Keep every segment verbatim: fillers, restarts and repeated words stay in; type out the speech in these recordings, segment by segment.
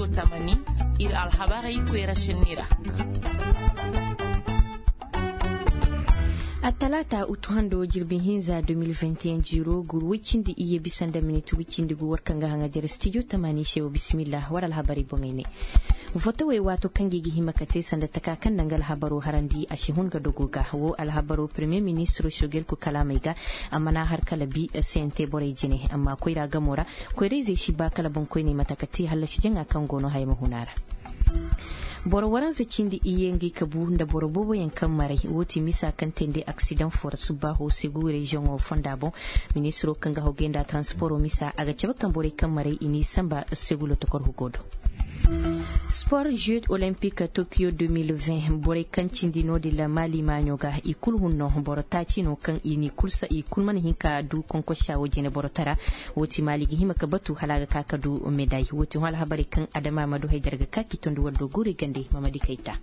Tamani, ir alhabarey koyra sinni ra. Attalaata utu hando jirbi hinza deux mille vingt et un jiiro gur woy cindi iyye bisa nda minit woy cindi gu war kaŋ ga haŋa jere studio tamani se wo bismillah war alhabarey boŋey ne. Votowey waato kaŋ ga i ga hima ka te sanda taka kaŋ na nga alhabaro harandi a si hun ga dogo ga wo alhabaro premier ministro sogel ku kalaamey ga. A mana har kala bi sente borey jine amma koyra gamo ra. Koyra-izey si ba kala boŋkoyney mate ka te hallasi jaŋa kaŋ go no haya ma hun a ra. Boro waranza cindi iyye ngey kabu nda boro booboyaŋ kaŋ maray wo ti misa kaŋ teendi aksidaŋ fo ra subbaaho segu reziyoŋo fonda boŋ. Ministiro kaŋ ga hawgay nda transporo misa a ga cabe kaŋ borey kaŋ maray i n'i samba segu lotokor hugo do. Spor jeux olympique tokyo deux mille vingt borey kaŋ cindi no-din ra maali maaɲo ga i kulu hun no boro taaci no kaŋ i n'i kulu mana hin ka du konkosa wo jine boro tara. Wo ti maali ga hima ka batu hala a ga ka ka du meday wo ti hõ alhabarey kaŋ adama ma du haydara ga ka k'i tondi war do guuri gande mamadi kayta.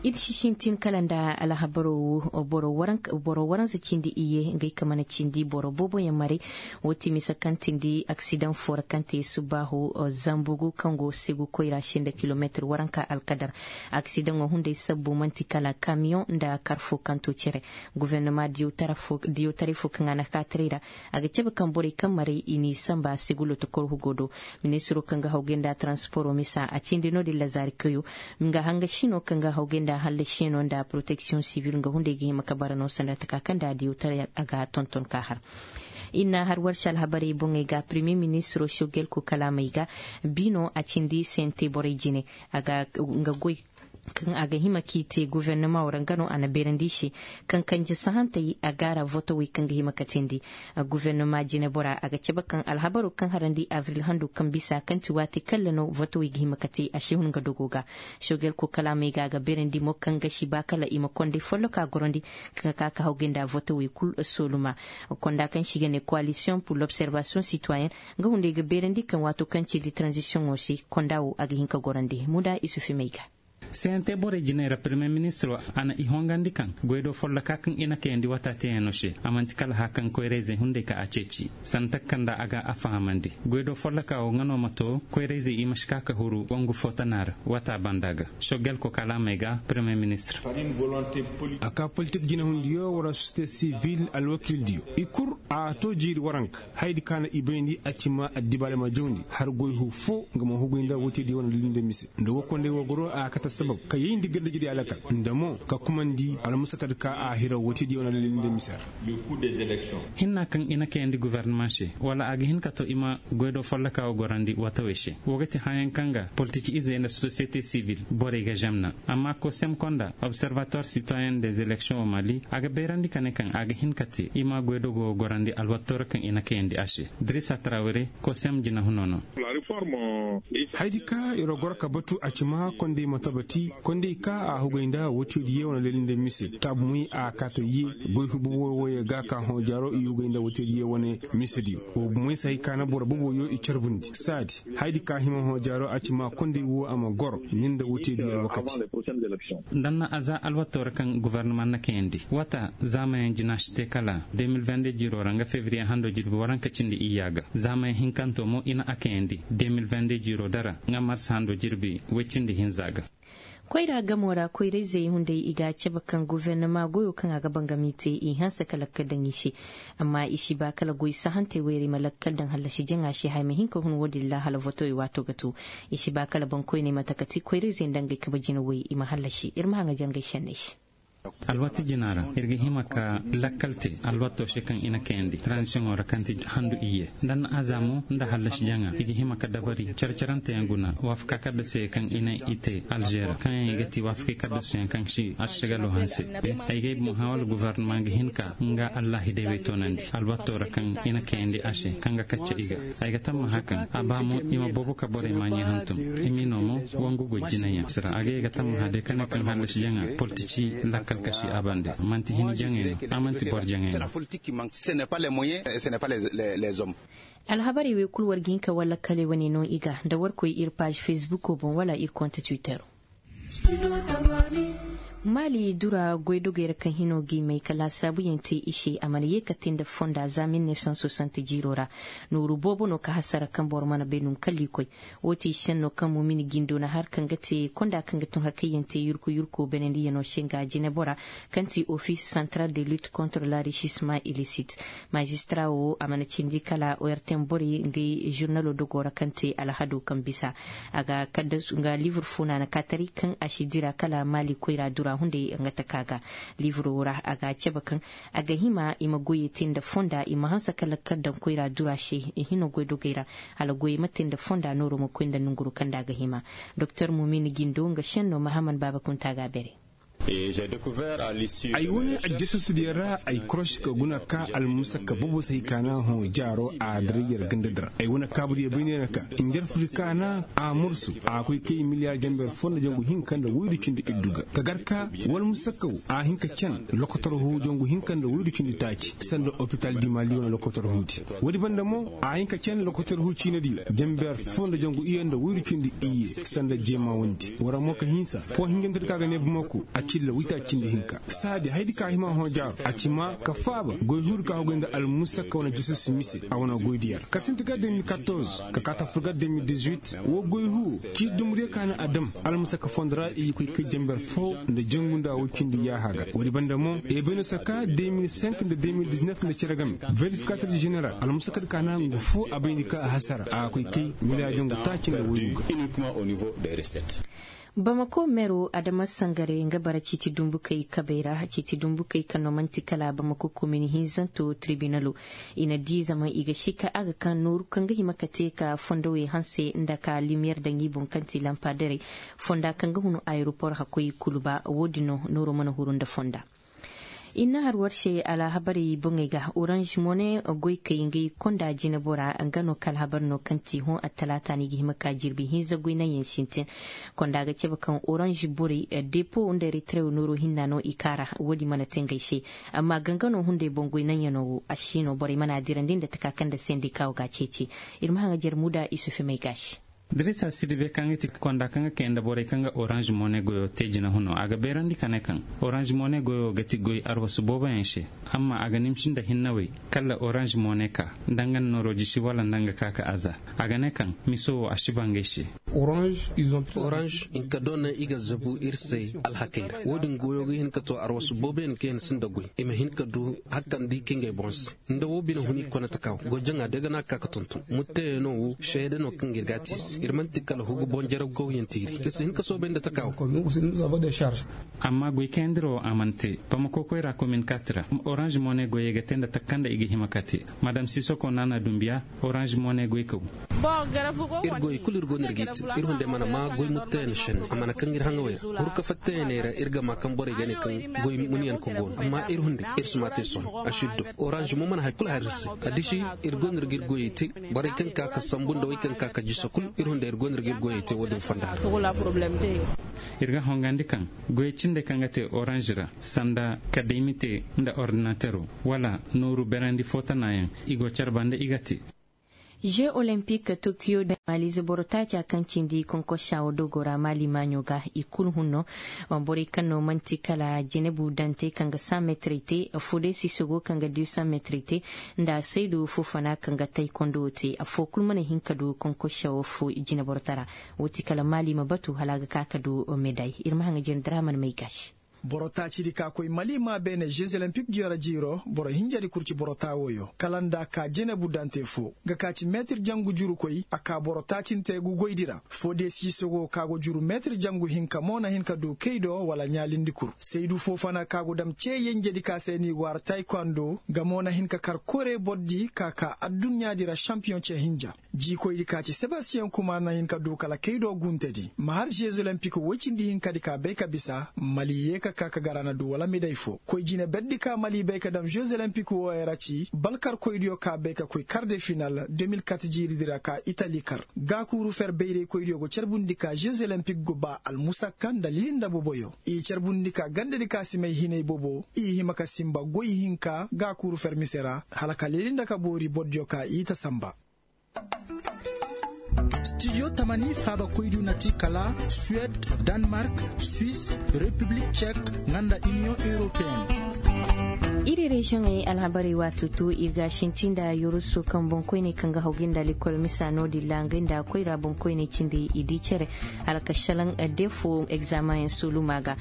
Ir si sintin kala nda alhabaro wo boro waranza cindi iyye ngey ka mana cindi boro booboyaŋ maray. Wo ti misa kaŋ tindi aksidaŋ fo ra kaŋ te subbaaho zambugu kaŋ go segu koyra se nda kilometir waranka alkadar. Aksidaŋo hunday sabbu man'ti kala kamiyoŋ nda kar fo kaŋ to cere. Gufernama diyotaray fo kaŋ a na kaataray ra. A ga cabe kaŋ borey kaŋ maray i n'i samba segu lotokor hugo do. Ministiro kaŋ ga hawgay nda transporo misa a cindi no-din lazaari kayo. Nga hangasi no kaŋ ga hawgay nda hallasiyaŋo nda poroteksiyoŋ sibil nga hunday ga hima ka bara no sanda taka kaŋ nda diyotaray a ga tonton ka har. Ir na har war se alhabarey boŋey ga premier ministiro sogel ko kalaamey ga. Bi no a cindi sente borey jine. A ga nga goy kaŋ a ga hima k'i te gufernama wo ra nga no a na beerandi i se. Kaŋ kanje sahantey a gaara votowey kaŋ ga hima ka teendi. Gufernama jinebora a ga cabe kaŋ alhabaro kaŋ harandi abril hando kaŋ bisa kaŋ ti waati kaŋ ra no votowey ga hima ka te a si hun nga dogo ga. Sogel ko kalaamey ga a ga beerandi mo kaŋ ga si ba kala i ma konday folloka gorandi. Kaŋ ga ka ka hawgay nda votowey kulu sooluma. Konda kaŋ se i ga ne koalisiyoŋ pur lobservasiyoŋ sitwayen nga hunday ga beerandi kaŋ waato kaŋ cindi taranzisiyoŋo se konda wo a ga hin ka gorandi muda isufi may ga. Sente borey jiney ra premier ministiro a na i hongandi kaŋ goydo folloka kaŋ i na kayandi wata teeyaŋo se a man'ti kala haya kaŋ koyra-izey hunday ka a ceeci. Sanda taka kaŋ nda a ga a fahamandi goydo folloka wo nga no ma to koyra-izey i ma si ka ka huru wangu fo tana ra wata banda ga. Sogel ko kalaamey ga premier ministir. A ka politik jinehundiyo wala sosiyete sivil alwakildiyo i kul a to jiiri waranka. Hayadi ka na i bayndi a ci ma addibaale ma jawndi har goy hu fo nga ma hugay nda woytediyo wane lilli nda mise nda wokondey wo goro a kate sabab ka yayndi ganda jiri alakal nda mo ka kumandi almusakad ka a hira woytediyo wane lilli nda mise ra. Hinna kaŋ i na kayandi guverneman se wala a ga hin ka to i ma goydo folloka wo gorandi watawey se wo ga ti hayaŋ kaŋ ga politiki izey nda sosiyete sivil borey ga zemna. Amma kosem konda observatoire sitoyen des eleksion o mali a ga bayrandi ka ne kaŋ a ga hin ka te i ma goydogo gorandi alwatto ra kaŋ i na kayandi a se. Dirisa trawere kosem jinahuno no. Hayadi ka yer goro ka batu a ci ma kondey ma tabati kondey ka a hugay nda woytediyo wane leli nda mise taabu moy a kaata ye. Goy hubu wo wo ye ga ka hõ jaaro i hugay nda woytediyo wane misediyo wo moy se hay ka na boro boboyo i carbundi saadi. Hayadi ka hima hõ jaaro a ci ma kondey wo a ma goro ni nda woytediyo alwakati. Nda na a za alwato ra kaŋ guvarnama na kayandi wata zaamayaŋ jina si te kala deux mille vingt-deux jiiro ra nga fevriye hando jirbi waranka cindi iyya ga zaamayaŋ hinkanto mo i na a kayandi deux mille vingt-deux jiiro dara nga mars hando jirbi woy cindi hinza ga. Koyra gamo ra koyra-izey hunday i ga a cabe kaŋ gufernama goyo kaŋ a ga bangami te i hanse ka lakkal daŋ i se. Amma i si ba kala goy sahantey wayray ma lakkal daŋ hallasi jaŋa se haya ma hin ka hun wo-din ra hala votowey waato ga tu. I si ba kala boŋkoyney mate ka ti koyra-izey nda ngey kabe jina woy i ma hallasi ir ma haŋa jangay senney se. Alwati jina ra ir ga hima ka lakkal te alwato se kaŋ i na kayandi tranzisiyoŋo ra kaŋ ti handu iyye nda na aza mo nda hallasi jaŋa i ga hima ka dabari care-caranteyaŋ guna waafaka kaddasey kaŋ i na i te alžera kaŋ yaŋ i ga ti waafakey kaddasuyaŋ kaŋ si arsagalo hanse. Ay ga ay boŋ hã wala guvarnama ga hin ka nga allaahidey wey toonandi alwato ra kaŋ i na kayandi a se kaŋ ga kacce i ga. Ay ga tammaha kaŋ a ba mo i ma boobo ka borey maaɲey hantum. I m'i no mo wangu goy jinayaŋ sira agay ga tammaha day ka ne kaŋ hallasi jaŋa politici lakkal ka si a bande. Man'ti hini jaŋay no a man'ti boro jaŋay no. Alhabarey wey kulu war ga hin ka war lakkaley wane no i ga nda war koy ir paaž fesbuko boŋ wala ir konte twittero. Maali dura goydogey ra kaŋ hino g'i may ka laasaabuyaŋ te i se a mana ye ka te nda fonda za mil nef san soixante jiiro ra. Nooru boobo no ka hasara kaŋ boro mana bay num kalli koy. Wo ti senno kaŋ mumini gindo na har kaŋ ga te konda kaŋ ga tun hakayyaŋ te yurku yurku benendiyano se nga jinebora, kaŋ ti office central de lutte contre l'enrichissement illicite. Maajistara wo a mana cindi kala ortm borey ngey žurnalo dogo ra kaŋ te alhado kaŋ bisa. A ga kadda nga livre fo no a na ka taray kaŋ a si dira kala maali koyra dura hunday nga taka ga. Livro ra a ga a cabe kaŋ a ga hima i ma goyey te nda fonda i ma hanse kala kaddaŋ koyra dura se. I hino goydogey ra hala goyey ma te nda fonda nooro ma koy nda nonguru kaŋ nda a ga hima. Doktor mumin gindo nga senno mahaman baaba kunta ga a bere. Ay wane aljasasudiyaŋ ra ay korosi ka guna ka almusakka bobo se hay kaana hõ jaaro a diray yer ganda di ra ay wane kaabudiyaŋ bay ne na ka njarfudi kaana a mursu a koy kay miliyaar janber fo nda jangu hinka nda woydu cindi iddu ga ka gar ka wala musakka wo a hin ka can lokotor hu jangu hinka nda woydu cindi taaci sanda opital di mali wane lokotor hu di. Woodi banda mo a hin ka can lokotor hu ciina di janber fo nda jangu iyye nda woydu cindi iyye sanda jeema wondi wara mo ka hinsa fo hinjantadi ka ga ne bamako a cilla wita cindi hinka saadi haydi ka hima hõ jaaro a ci ma ka faaba goy huudi ka hugoy nda almusakka wane jisirsi mise a wane goydiyaŋ ka sinti gar deux mille quatorze ka kaati afur gar deux mille dix-huit wo goy huwo ciisi dumbudiyaŋ ka na a dam almusakka fondo ra i koy kay janber fo nda jangu nda woy cindi yaaha ga woodi banda mo e bay no saka deux mille cinq nda deux mille dix-neuf nda cere game verifikaator jeneral almusakkadi ka na nga fo a bay ni ka a hasara a koy kay miliyaar jangu taaci nda woygu ga. Bamako meero adama sangare nga bara ciiti dumbukey kabey ra ciiti dumbukey kaŋ no man'ti kala bamako komini hinzanto tiribinalo. I na di zama i ga sika a ga ka nooru kaŋ ga hima ka te ka fondowey hanse nda ka limiyeer daŋ i boŋ kaŋ ti lampaderey fonda kaŋ ga hunu ayeropor hakkoy kulu ba wo- din no nooro mana huru nda fonda. I na har war se alhabarey boŋey ga oranž mone goykey ngey konda jinebora nga no ka alhabar no kaŋ ti hõ attalaata no i ga hima ka jirbi hinza goy naŋyaŋ sintin. Konda ga cabe kaŋ oranž borey depo nda eritrew nooro hinna no i kaara wo- din mana te ngey se. Amma ganga no hunday boŋ goy naŋyaŋo wo a si no borey mana a dirandi nda taka kaŋ nda sendikawo ga a ceeci. Ir ma haŋajer muda isufi may ga a se. Dirisa sidibe kaŋ ga ti konda kaŋ ga kay nda borey kaŋ ga oranž mone goyo te jinahuno a ga beerandi ka ne kaŋ oranž mone goyo ga ti goy arwasu booboyaŋ se. Amma a ga nimsi nda hinnawey kala oranž mone ka nda nga na nooro jisi wala nda nga ka ka aza. A ga ne kaŋ miso wo a si ba ngey se. Oranž hinka doona i ga zabu ir se alhakey ra wo- din goyo ga hin ka to arwasu booboyaŋ kaŋ yaŋ sinda goy i ma hin ka du hakkandi ka ngey boŋ se. Nda wo bine huni kone taka wo goy jaŋa day ga na ka ka tonton mutteyaŋo wo seede no kaŋ ga ir ga a te i se ir man'ti kala hugu boŋ jaraw gawyaŋ tiiri ir si hin ka soobay nda taka wo. Amma goy kayandira wo a mana te bamako koyra komin kaati ra. Oranž mone goyey ga te nda taka kaŋ nda i ga hima ka te madam sisoko naana dumbiya. Oranž mone goy kaw. Ir goy kulu ir go no ir g'i te ir hunday mana maa goy mutteyaŋ senne a mana kaŋ ir haŋawey ra hurka fatteyaŋey ra ir ga maa kaŋ borey ga ne kaŋ goy munyaŋ ka go no amma ir hunday ir si maa te sohõ a si ddo. Oranž mo mana hay kulu har ir se. Addiši ir go no ir g'ir goyey te borey kaŋ ka ka sambu nda wey kaŋ ka ka jisa kulu ir hunday ir go no ir g'ir goyey te wo- din fonda ra. Ir ga hongandi kaŋ goyey cindey kaŋ ga te oranž ra sanda ka daymite nda ordinatero wala nooru berandi fo tanaayaŋ i go care banda i ga te. Jeux olympique tokiyo da maaliize boro taaca kaŋ cindi konkosa wo dogo ra maali maaɲo ga i kulu hunno. Borey kaŋ no man'ti kala jenebu dante kaŋ ga san metrey te fo day sisogo kaŋ ga du san metrey te nda saydu fofana kaŋ ga taykondo te affo kulu mana hin ka du konkosa wo fo jine boro tara. Wo ti kala maali ma batu hala a ga ka ka du meday ir ma haŋa jine daraman may gaasi. Boro taacidi ka koy mali maa beene jeux olympique diyo ra jiiro boro hinjadi kurci boro taawoyo kala nda a ka jenebu dante fo nga ka ci meetir jangu jurukoy a ka boro taacinte gugoydi ra. Foo de siisogo ka go juru meetir jangu hinka mo na hin ka du kay do wala ɲaalindi kul saydu foo fana ka go dam cee yenjedi ka se ni go har taykondo nga mo na hin ka kar kore bordi ka ka adduɲɲaadi ra šampiyoŋ cee hinja. Jiikoydi ka ci sebastiyen kumaar na hin ka du kala kay do guntedi ma har žez olempik woy cindi hinkadi ka bay ka bisa mali yee ka ka ka gar a na du wala miday foo koy jine berdi ka mali bay ka dam žez olempik wooyo ra ci balkarkoydiyo ka bay ka koy kar de final deux mille quatre jiiridi ra ka itali kar. Gaakuuru fer bayraykoydiyo go carbundi ka žez olempik go ba almusakka nda lili nda boboyo i carbundi ka gandedi ka si may hinay bobo i hima ka sinba goy hinka gaakuuru fer mise ra hala ka lili nda ka boori bordiyo ka i ta sanba. Studio tamani faabakoydiyo na ti kala suwed, danmark, swis, repiblik cek, nga nda iniyoŋ europeen. Iri reziyoŋey alhabarey waati to ir ga a sinti nda yoroso kaŋ boŋkoyney kaŋ ga haw ga nda likol misa no-din ra ngey nda koyra boŋkoyney cindi i di cere hala ka salaŋ defo egzamaŋyaŋ soluma ga.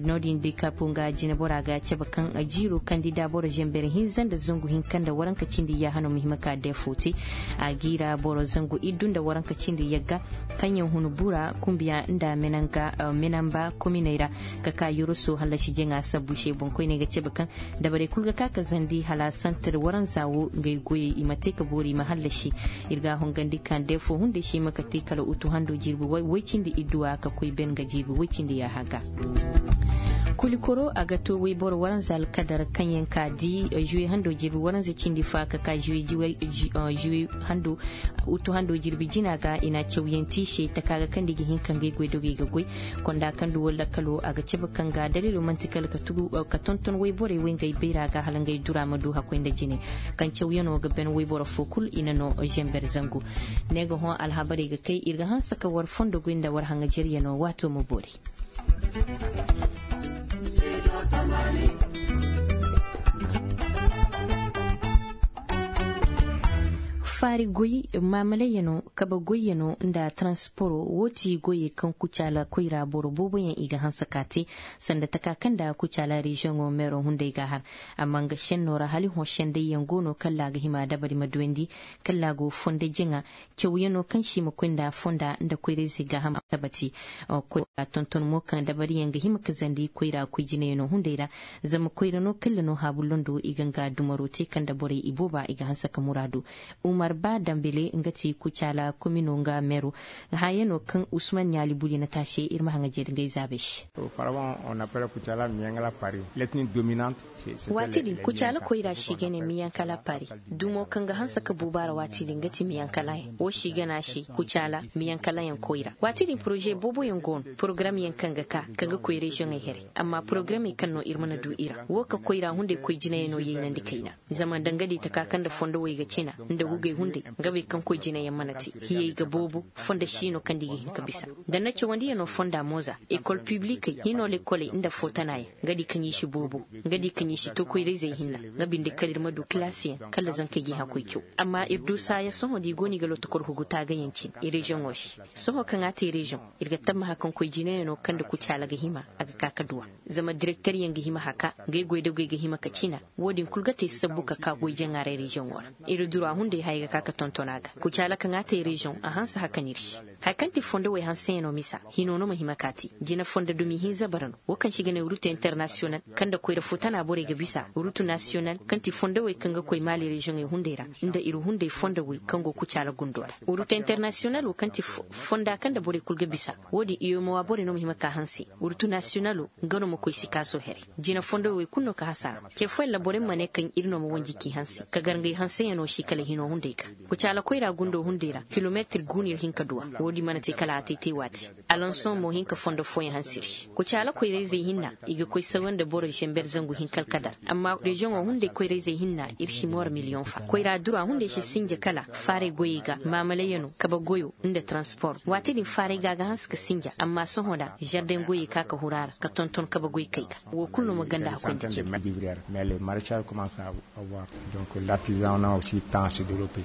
No-din dikapo nga jinebora ga cabe kaŋ jiiro kandida boro zember hinza nda zangu hinka nda waranka cindi yaaha no ma hima ka defo te. A g'i ra boro zangu iddu nda waranka cindi yagga kaŋyaŋ hun bura kumbiya nda menamba kominey ra ka ka yoroso hallasi jaŋa sabbu se boŋkoyney ga cabe kaŋ dabarey kulu ga ka ka zandi hala santir waranza wo ngey goyey i ma te ka boori i ma hallasi. Ir ga a hongandi ka nda fo hunday se i ma ka te kala utu hando jirbi woy cindi idduwa ka koy ben ga jirbi woy cindi yaaha ga. Kulikoro a ga to woyboro waranza alkadar kaŋyaŋ ka di juwe hando jirbi waranza cindi fa ka ka juwe hando utu hando jirbi jina ga i na cawyanti se taka ga kaŋ da i ga hin ka ngey goydogey ga goy. Konda kaŋ du walla kalo a ga cabe kaŋ ga daliilo man'ti kala ka tugu ka tonton woyborey wey ngey bayra ga hala ngey dura ma du hakkoy nda jine. Kaŋ cawyano ga ben woyboro fo kul i na no zember zangu. Ne ga hõ alhabarey ga kay ir ga hanse ka war fondo goy nda war haŋajeryano waato ma boori. Faari goy, maamalayyano, kabe goyyano nda taransporo wo ti goyey kaŋ kucaala koyra boro booboyaŋ i ga hanse ka te. Sanda taka kaŋ nda kucaala reziyoŋo meero hunday ga a har. Amma nga šenno ra hala i hõ sendayyaŋ go no kalla a ga hima dabari ma duwandi, kalla a go fonda jaŋa. Cawyano kaŋ se i ma koy nda fonda nda koyra-izey gaaham a tabati. Koy a tonton mo kaŋ dabariyaŋ ga hima ka zandi koyra koy jinayano hunday ra. Zama koyra no kalla no haabu londo i ga nga dumaro te kaŋ nda borey ibooba i ga hanse ka muraadu. Umar ba dambele nga ti kucaala komino nga meero. Hayano kaŋ usman ɲaali buli na taase ir ma haŋa jeeri ngey zaabey se. Waati din kucaala koyra si ga ne miyankala pari. Dumo kaŋ ga hanse ka buubaara waati din ga ti miyankalayaŋ wo si ga ne a se kucaala miyankalayaŋ koyra waati din poroze booboyaŋ go no. Porogaramyaŋ kaŋ ga ka kaŋ ga koy reziyoŋey here. Amma porogaramey kaŋ no ir mana du i ra wo ka koyra hunday koy jinayey no yaynandi kayna. Zama nda nga di taka kaŋ nda fondowey ga cina nda gugey hunday nga bay kaŋ koy jinayaŋ mana te. Hiyey ga boobo fondo si no kaŋ nda i ga hin ka bisa. Nda na cawandiyano fonda mooza ekol piblikey hino lekoley nda footanaayaŋ. Nga di kaŋ i si boobo nga di kaŋ i si to koyra-izey hinna. Nga binde kala ir ma du kilaasiyaŋ kala zankey ga i hakkoy caw. Amma ir du saaya sohõ da i go no i ga lotokor hugu taagayaŋ cine i reziyoŋo se. Sohõ kaŋ a te reziyoŋ ir ga tammaha kaŋ koy jinayano kaŋ nda kucaala ga hima a ga ka ka duw'a. Zama direkteryaŋ ga hima haka ngey goydogey ga hima ka cina. Wo-din kul ga te sabbu ka ka goy jaŋaaray reziyoŋo ra. Ir dura hunday haya ga ka ka tonton a ga kucaala kaŋ a te reziyoŋ a hanse haka no ir se. Haya kaŋ ti fondowey hanseyaŋo misa hino no ma hima ka te. Jina fondo dumi hinza bara no wo kaŋ se i ga ne rutu internasiyonal kaŋ nda koyra fo tana borey ga bisa rutu nasiyonal kaŋ ti fondowey kaŋ ga koy maali reziyoŋey hunday ra nda ir hunday fondowey kaŋ go kucaala gundo ra. Rutu internasiyonal wo kaŋ ti fonda kaŋ nda borey kul ga bisa. Wo-din iyomowa borey no ma hima ka hanse. Rutu nasiyonalo nga no ma koy sikaaso here. Jina fondowey kul no ka hasara. Ce fooyaŋ ra borey ma ne kaŋ ir no ma wanji k'i hanse ka gar ngey hanseyaŋo se kala hino hunday ga. Kucaala koyra gundo hunday ra kilometir guuna ir hin ka duw'a. Wo-din mana te kala a te te waati. Alansoŋ mo hin ka fondo fooyaŋ hanse ir se. Kucaala koyra-izey hinna i ga koy sawa nda boro zember zangu hinka alkadar. Amma reziyoŋo hunday koyra-izey hinna ir si moora miliyoŋ fa koyra dura hunday si sinja kala faaray goyey ga maamalayyano kabe goyo nda taranspor. Waati din faaray ga a ga hanse ka sinja amma sohõ da zardeŋ goyey ka ka huru a ra ka tonton kabe goykey ga. Wo kulu no ma ganda hakkoy nda cindi. Mais le maraîchage commence à avoir donc l'artisanat aussi tend à se développer.